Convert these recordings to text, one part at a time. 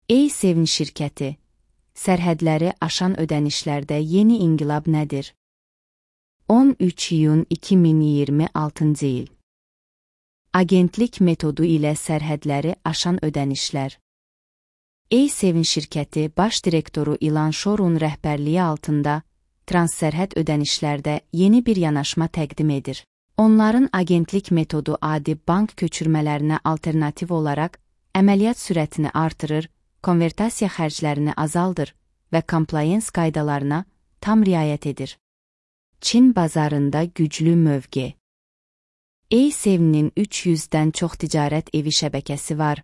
Ey Sevin şirkəti, sərhədləri aşan ödənişlərdə yeni inqilab nədir? 13 iyun 2026 il. Agentlik metodu ilə sərhədləri aşan ödənişlər. Ey Sevin şirkəti baş direktoru İlan Şorun rəhbərliyi altında transsərhəd ödənişlərdə yeni bir yanaşma təqdim edir. Onların agentlik metodu adi bank köçürmələrinə alternativ olaraq əməliyyat sürətini artırır, konvertasiya xərclərini azaldır və compliance qaydalarına tam riayət edir. Çin bazarında güclü mövqe. Ey Sevin'in 300-dən çox ticarət evi şəbəkəsi var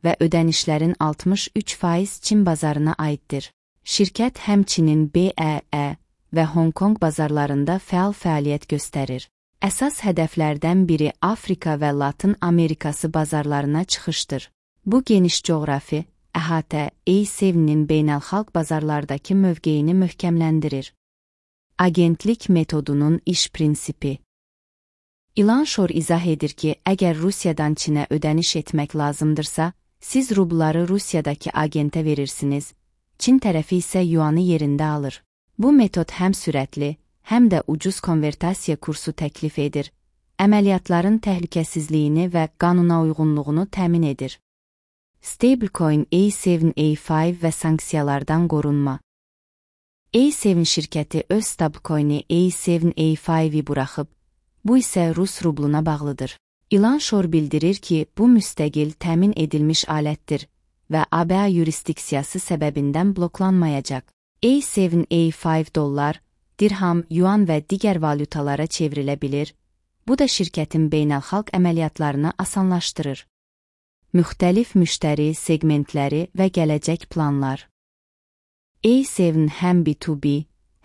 və ödənişlərin 63% Çin bazarına aiddir. Şirkət həmçinin BEE və Hong Kong bazarlarında fəal fəaliyyət göstərir. Əsas hədəflərdən biri Afrika və Latın Amerikası bazarlarına çıxışdır. Bu geniş coğrafi əhatə Ey Sevin'in beynəlxalq bazarlardakı mövqeyini möhkəmləndirir. Agentlik metodunun iş prinsipi. İlan Şor izah edir ki, əgər Rusiyadan Çinə ödəniş etmək lazımdırsa, siz rubları Rusiyadakı agentə verirsiniz, Çin tərəfi isə yuanı yerində alır. Bu metod həm sürətli, həm də ucuz konvertasiya kursu təklif edir, əməliyyatların təhlükəsizliyini və qanuna uyğunluğunu təmin edir. Stablecoin A7 A5 və sanksiyalardan qorunma. A7 şirkəti öz stablecoin'i A7 A5-i buraxıb, bu isə Rus rubluna bağlıdır. İlan Şor bildirir ki, bu müstəqil təmin edilmiş alətdir və ABA yurisdiksiyası səbəbindən bloklanmayacaq. A7 A5 dollar, dirham, yuan və digər valyutalara çevrilə bilir, bu da şirkətin beynəlxalq əməliyyatlarını asanlaşdırır. Müxtəlif müştəri segmentləri və gələcək planlar. A7 həm B2B,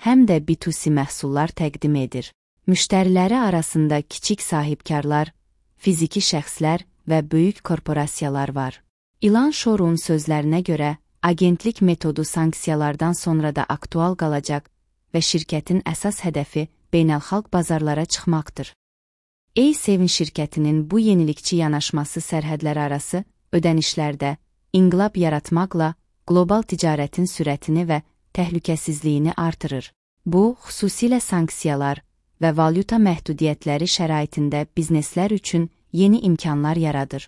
həm də B2C məhsullar təqdim edir. Müştəriləri arasında kiçik sahibkarlar, fiziki şəxslər və böyük korporasiyalar var. İlan Şorun sözlərinə görə, agentlik metodu sanksiyalardan sonra da aktual qalacaq və şirkətin əsas hədəfi beynəlxalq bazarlara çıxmaqdır. A7 şirkətinin bu yenilikçi yanaşması sərhədlər arası ödənişlərdə inqilab yaratmaqla qlobal ticarətin sürətini və təhlükəsizliyini artırır. Bu, xüsusilə sanksiyalar və valyuta məhdudiyyətləri şəraitində bizneslər üçün yeni imkanlar yaradır.